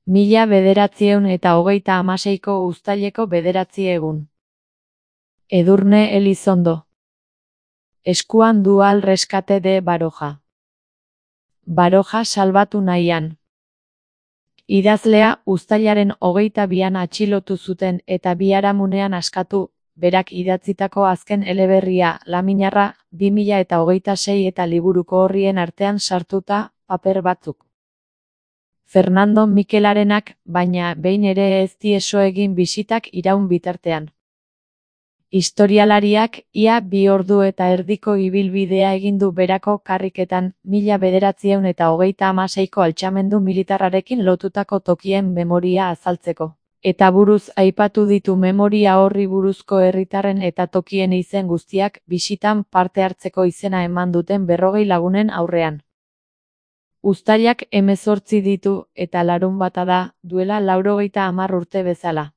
1936ko uztaileko 9 egun. Edurne Elizondo. Eskuan du al rescate de Baroja. Baroja salbatu nahian. Idazlea uztailaren 22an atxilotu zuten eta biharamunean askatu, berak idatzitako azken eleberria, Laminarra, 2026 eta liburuko orrien artean sartuta, paper batzuk. Fernando Mikelarenak, baina behin ere ez tieso egin bisitak iraun bitartean. Historialariak, ia 2 ordu eta erdiko ibilbidea egin du berako karriketan, 1936ko altxamendu militarrarekin lotutako tokien memoria azaltzeko. Eta buruz aipatu ditu memoria horri buruzko herritarren eta tokien izen guztiak bisitan parte hartzeko izena eman duten 40 lagunen aurrean. Uztailak 18 ditu eta larunbata da, duela 90 urte bezala.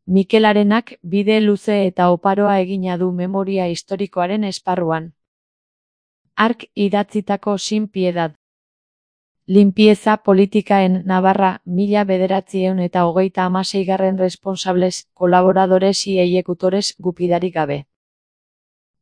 Mikelarenak bide luze eta oparoa egina du memoria historikoaren esparruan. Hark idatzitako Sin Piedad. Limpieza politika en Navarra, 1936 responsables, colaboradores y ejecutores gupidarik gabe.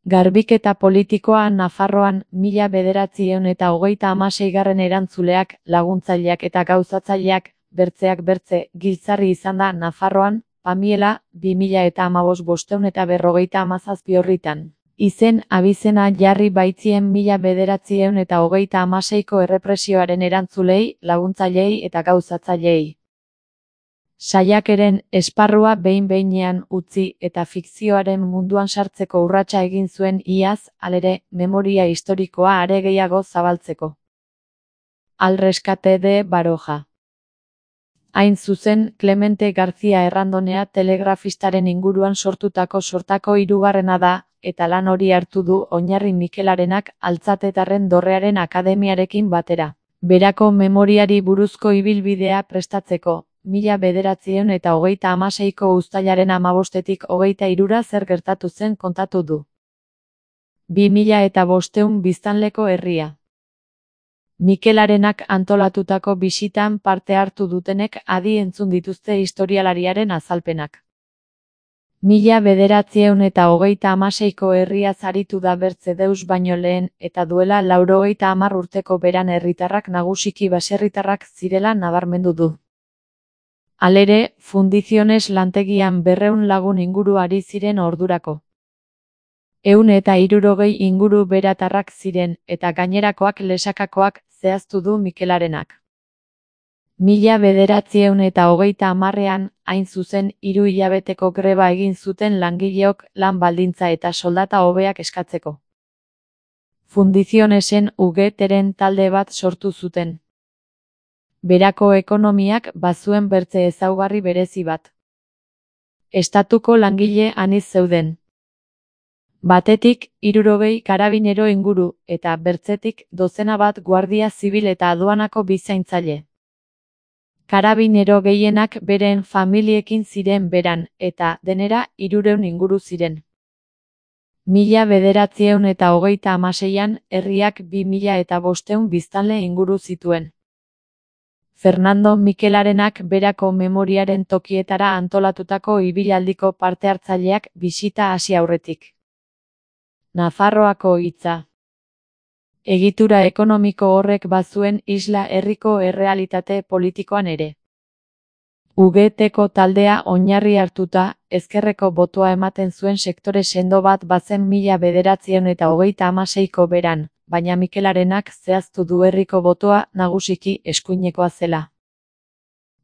Garbiketa politikoa Nafarroan, 1936 erantzuleak, laguntzaileak eta gauzatzaileak, bertzeak bertze, giltzarri izan da Nafarroan, Pamiela, 2017 orritan. Izen abizena jarri baitzien 1936ko errepresioaren erantzulei, laguntzailei eta gauzatzaileei. Saiakeren esparrua behin-behinean utzi eta fikzioaren munduan sartzeko urratsa egin zuen iaz, halere, memoria historikoa are gehiago zabaltzeko. Al rescate de Baroja. Hain zuzen, Clemente García Errandonea telegrafistaren inguruan sortutako sortako 3. da, eta lan hori hartu du oinarri Mikelarenak Altzatetarren Dorrearen Akademiarekin batera. Berako memoriari buruzko ibilbidea prestatzeko, 1936ko uztailaren 15-tik 23ra zer gertatu zen kontatu du. 2500 biztanleko herria. Mikelarenak antolatutako bisitan parte hartu dutenek adi entzun dituzte historialariaren azalpenak. 1936ko herriaz aritu da Bertzedeus baino lehen eta duela 90 urteko beran herritarrak nagusiki baserritarrak zirela nabarmendu du. Halere, Fundiziones lantegian 200 lagun inguru ari ziren ordurako. 160 inguru beratarrak ziren, eta gainerakoak lesakakoak, zehaztu du Mikelarenak. 1930ean, hain zuzen, 3 hilabeteko greba egin zuten langileok lan baldintza eta soldata hobeak eskatzeko. Fundizionesen UGTren talde bat sortu zuten. Berako ekonomiak bazuen bertze ezaugarri berezi bat. Estatuko langile anitz zeuden. Batetik, 60 karabinero inguru, eta bertzetik, 12 bat guardia zibil eta aduanako bizaintzaile. Karabinero gehienak beren familiekin ziren beran, eta, denera, 300 inguru ziren. 1936an, herriak 2500 biztanle inguru zituen. Fernando Mikelarenak berako memoriaren tokietara antolatutako ibilaldiko parte hartzaileak bisita hasi aurretik. Nafarroako hitza. Egitura ekonomiko horrek bazuen isla herriko errealitate politikoan ere. UGTko taldea oinarri hartuta, ezkerreko botoa ematen zuen sektore sendo bat bazen 1936ko beran, baina Mikelarenak zehaztu du herriko botoa nagusiki eskuinekoa zela.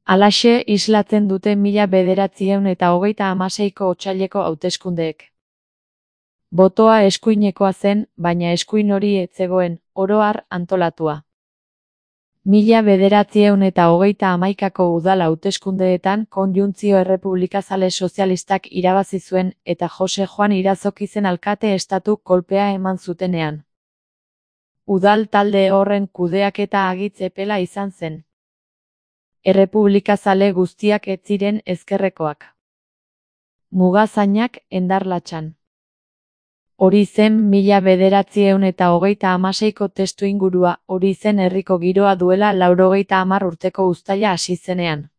Halaxe islatzen dute 1936ko otsaileko hauteskundeek. Botoa eskuinekoa zen, baina eskuin hori ez zegoen, oro har antolatua. 1938ko udal hauteskundeetan Konjuntzio Errepublikazale Sozialistak irabazi zuen eta Jose Juan Irazoki zen alkate estatu kolpea eman zutenean. Udal talde horren kudeaketa agitz epela izan zen. Errepublikazale guztiak ez ziren ezkerrekoak. Mugazainak Endarlatxan. Hori zen 1936ko testuingurua, hori zen herriko giroa duela 90 urteko uztaila hasi zenean.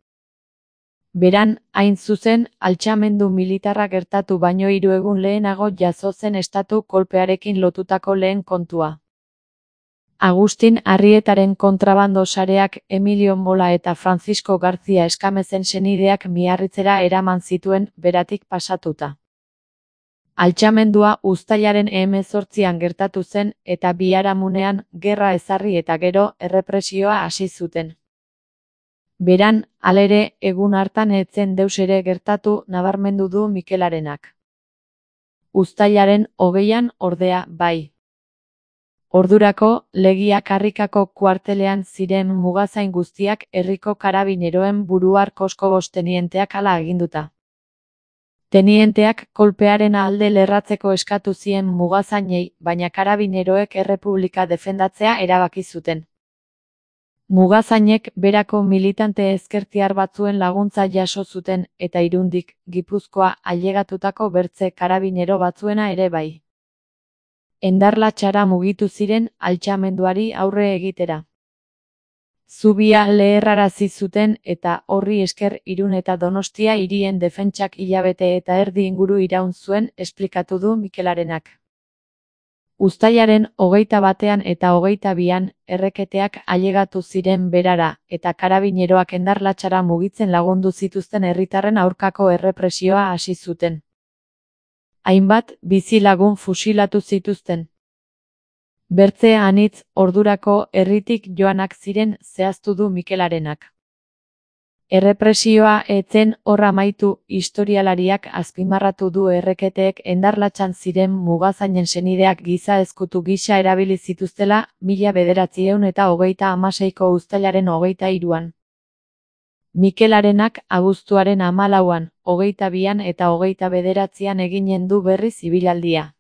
Beran, hain zuzen, altxamendu militarra gertatu baino 3 egun lehenago jazo zen estatu kolpearekin lotutako lehen kontua. Agustin Arrietaren kontrabando sareak Emilio Mola eta Francisco García Escamezen senideak Miarritzera eraman zituen beratik pasatuta. Altxamendua uztailaren 18an gertatu zen eta biharamunean gerra ezarri eta gero errepresioa hasi zuten. Beran, halere, egun hartan ez zen deus ere gertatu nabarmendu du Mikelarenak. Uztailaren 20an ordea bai. Ordurako, Legia karrikako kuartelean ziren mugazain guztiak herriko karabineroen buruar Koskobos tenienteak hala aginduta. Tenienteak kolpearen alde lerratzeko eskatu zien mugazainei, baina karabineroek errepublika defendatzea erabaki zuten. Mugazainek berako militante ezkertiar batzuen laguntza jaso zuten eta Irundik, Gipuzkoa ailegatutako bertze karabinero batzuena ere bai. Endarlatxara mugitu ziren altxamenduari aurre egitera. Zubia leherrarazi zuten eta horri esker Irun eta Donostia hirien defentsak hilabete eta erdi inguru iraun zuen esplikatu du Mikelarenak. Uztailaren 21an eta 22an erreketeak ailegatu ziren berara eta karabineroak Endarlatxara mugitzen lagundu zituzten herritarren aurkako errepresioa hasi zuten. Hainbat bizilagun fusilatu zituzten. Bertze anitz ordurako herritik joanak ziren zehaztu du Mikelarenak. Errepresioa ez zen hor amaitu, historialariak azpimarratu du erreketeek Endarlatxan ziren mugazainen senideak giza ezkutu gisa erabili zituztela 1936ko uztailaren 23an. Mikelarenak abuztuaren 14an, 22an eta 29an eginen du berriz ibilaldia.